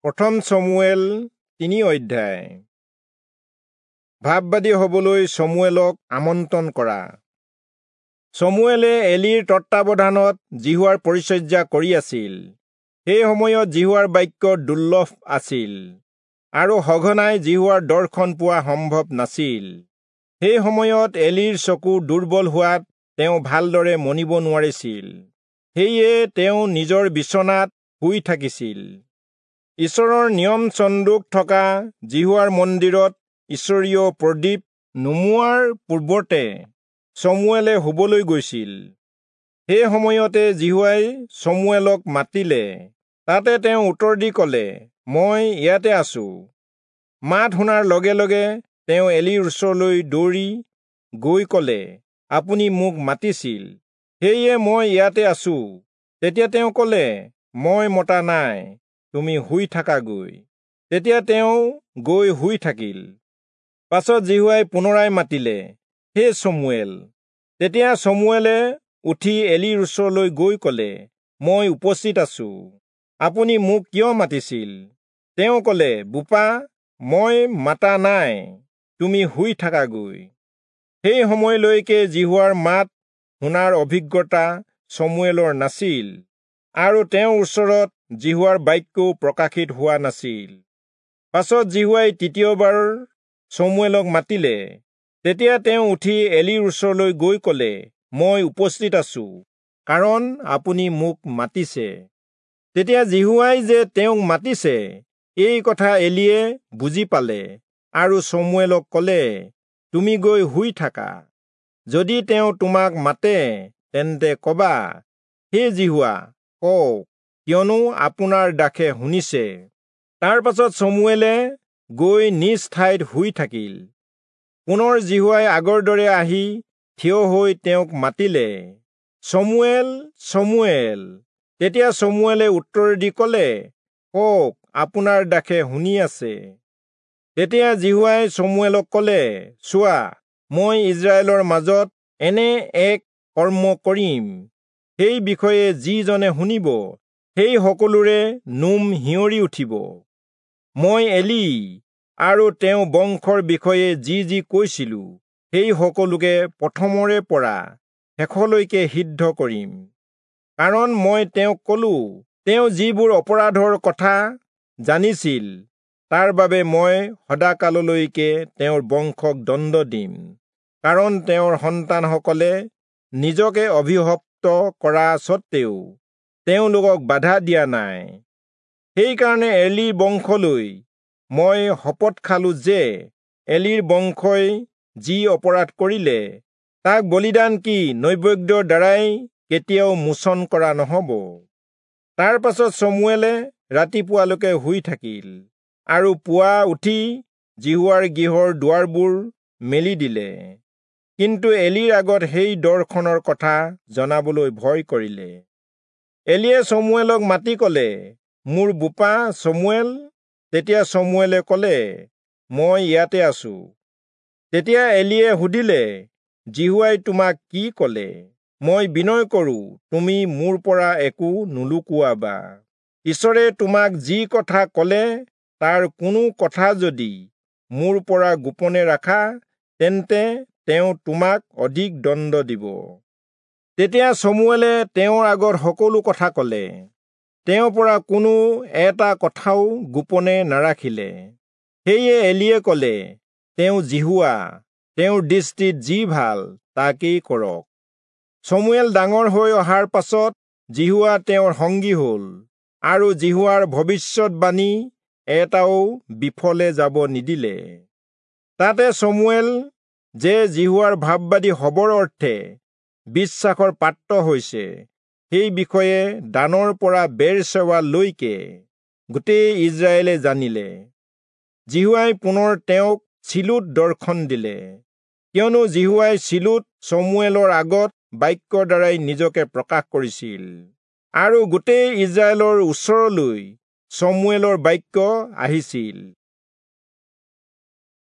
প্ৰথম চমুৱেল 3 অধ্যায়। ভাববাদী হবলৈ চমুৱেলক আমন্ত্ৰণ কৰা। চমুৱেলে এলিৰ তত্বাৱধানত যিহোৱাৰ পৰিচৰ্যা কৰি আছিল। সেই সময়ত যিহোৱাৰ বাক্য দুৰ্লভ আছিল আৰু সঘনাই যিহোৱাৰ দৰ্শন পোৱা সম্ভৱ নাছিল। সেই সময়ত এলিৰ চকু দুৰ্বল হোৱাত তেওঁ ভালদৰে মনিব নোৱাৰিছিল, সেয়ে তেওঁ নিজৰ বিচনাত শুই থাকিছিল। ঈশ্বৰৰ নিয়ম চন্দুক থকা যিহোৱাৰ মন্দিৰত ঈশ্বৰীয় প্ৰদীপ নুমুৱাৰ পূৰ্বতে চমুৱেলে শুবলৈ গৈছিল। সেই সময়তে যিহোৱাই চমুৱেলক মাতিলে। তাতে তেওঁ উত্তৰ দি কলে, মই ইয়াতে আছো। মাত শুনাৰ লগে লগে তেওঁ এলিৰ ওচৰলৈ দৌৰি গৈ কলে, আপুনি মোক মাতিছিল, সেয়ে মই ইয়াতে আছো। তেতিয়া তেওঁ কলে, মই মতা নাই, তুমি শুই থাকাগৈ। তেতিয়া তেওঁ গৈ শুই থাকিল। পাছত যিহোৱাই পুনৰাই মাতিলে, হে চমুৱেল। তেতিয়া চমুৱেলে উঠি এলিৰ ওচৰলৈ গৈ কলে, মই উপস্থিত আছো, আপুনি মোক কিয় মাতিছিল? তেওঁ কলে, বোপা, মই মাতা নাই, তুমি শুই থাকাগৈ। সেই সময়লৈকে যিহোৱাৰ মাত শুনাৰ অভিজ্ঞতা চমুৱেলৰ নাছিল আৰু তেওঁৰ ওচৰত যিহোৱাৰ বাক্যও প্ৰকাশিত হোৱা নাছিল। পাছত যিহোৱাই তৃতীয়বাৰ চমুৱেলক মাতিলে। তেতিয়া তেওঁ উঠি এলিৰ ওচৰলৈ গৈ কলে, মই উপস্থিত আছো, কাৰণ আপুনি মোক মাতিছে। তেতিয়া যিহোৱাই যে তেওঁক মাতিছে এই কথা এলিয়ে বুজি পালে আৰু চমুৱেলক কলে, তুমি গৈ শুই থাকা, যদি তেওঁ তোমাক মাতে তেন্তে কবা, হে যিহোৱা কওক, কিয়নো আপোনাৰ দাসে শুনিছে। তাৰ পাছত চমুৱেলে গৈ নিজ ঠাইত শুই থাকিল। পুনৰ যিহোৱাই আগৰ দৰে আহি থিয় হৈ তেওঁক মাতিলে, চমুৱেল, চমুৱেল। তেতিয়া চমুৱেলে উত্তৰ দি কলে, কওক, আপোনাৰ দাসে শুনি আছে। তেতিয়া যিহোৱাই চমুৱেলক কলে, চোৱা, মই ইজৰাইলৰ মাজত এনে এক কৰ্ম কৰিম, সেই বিষয়ে যিজনে শুনিব সেই সকলোৰে নোম শিয়ৰি উঠিব। মই এলি আৰু তেওঁ বংশৰ বিষয়ে যি যি কৈছিলো সেই সকলোকে প্ৰথমৰে পৰা শেষলৈকে সিদ্ধ কৰিম। কাৰণ মই তেওঁক কলো, তেওঁ যিবোৰ অপৰাধৰ কথা জানিছিল তাৰ বাবে মই সদাকাললৈকে তেওঁৰ বংশক দণ্ড দিম, কাৰণ তেওঁৰ সন্তানসকলে নিজকে অভিশপ্ত কৰা স্বত্বেও তেওঁলোকক বাধা দিয়া নাই। সেইকাৰণে এলিৰ বংশলৈ মই শপত খালো যে এলিৰ বংশই যি অপৰাধ কৰিলে তাক বলিদান কি নৈবেদ্যৰ দ্বাৰাই কেতিয়াও মোচন কৰা নহব। তাৰ পাছত চমুৱেলে ৰাতিপুৱালৈকে শুই থাকিল আৰু পুৱা উঠি যিহোৱাৰ গৃহৰ দুৱাৰবোৰ মেলি দিলে, কিন্তু এলিৰ আগত সেই দৰ্শনৰ কথা জনাবলৈ ভয় কৰিলে। এলিয়ে চমুৱেলক মাতি কলে, মোৰ বোপা চমুৱেল। তেতিয়া চমুৱেলে কলে, মই ইয়াতে আছো। তেতিয়া এলিয়ে সুধিলে, যিহোৱাই তোমাক কি কলে? মই বিনয় কৰো, তুমি মোৰ পৰা একো নুলুকুৱাবা। ঈশ্বৰে তোমাক যি কথা কলে তাৰ কোনো কথা যদি মোৰ পৰা গোপনে ৰাখা, তেন্তে তেওঁ তোমাক অধিক দণ্ড দিব। তেতিয়া চমুৱেলে তেওঁৰ আগত সকলো কথা কলে, তেওঁৰ পৰা কোনো এটা কথাও গোপনে নাৰাখিলে। সেয়ে এলিয়ে কলে, তেওঁ যিহোৱা, তেওঁৰ দৃষ্টিত যি ভাল তাকেই কৰক। চমুৱেল ডাঙৰ হৈ অহাৰ পাছত যিহোৱা তেওঁৰ সংগী হল আৰু যিহোৱাৰ ভৱিষ্যতবাণী এটাও বিফলে যাব নিদিলে। তাতে চমুৱেল যে যিহোৱাৰ ভাববাদী হবৰ অৰ্থে বিশ্বাসৰ পাত্ৰ হৈছে, সেই বিষয়ে দানৰ পৰা বেৰচেৱালৈকে গোটেই ইজৰাইলে জানিলে। যিহোৱাই পুনৰ তেওঁক চিলোত দৰ্শন দিলে, কিয়নো যিহোৱাই চিলোত চমুৱেলৰ আগত বাক্যৰ দ্বাৰাই নিজকে প্ৰকাশ কৰিছিল আৰু গোটেই ইজৰাইলৰ ওচৰলৈ চমুৱেলৰ বাক্য আহিছিল।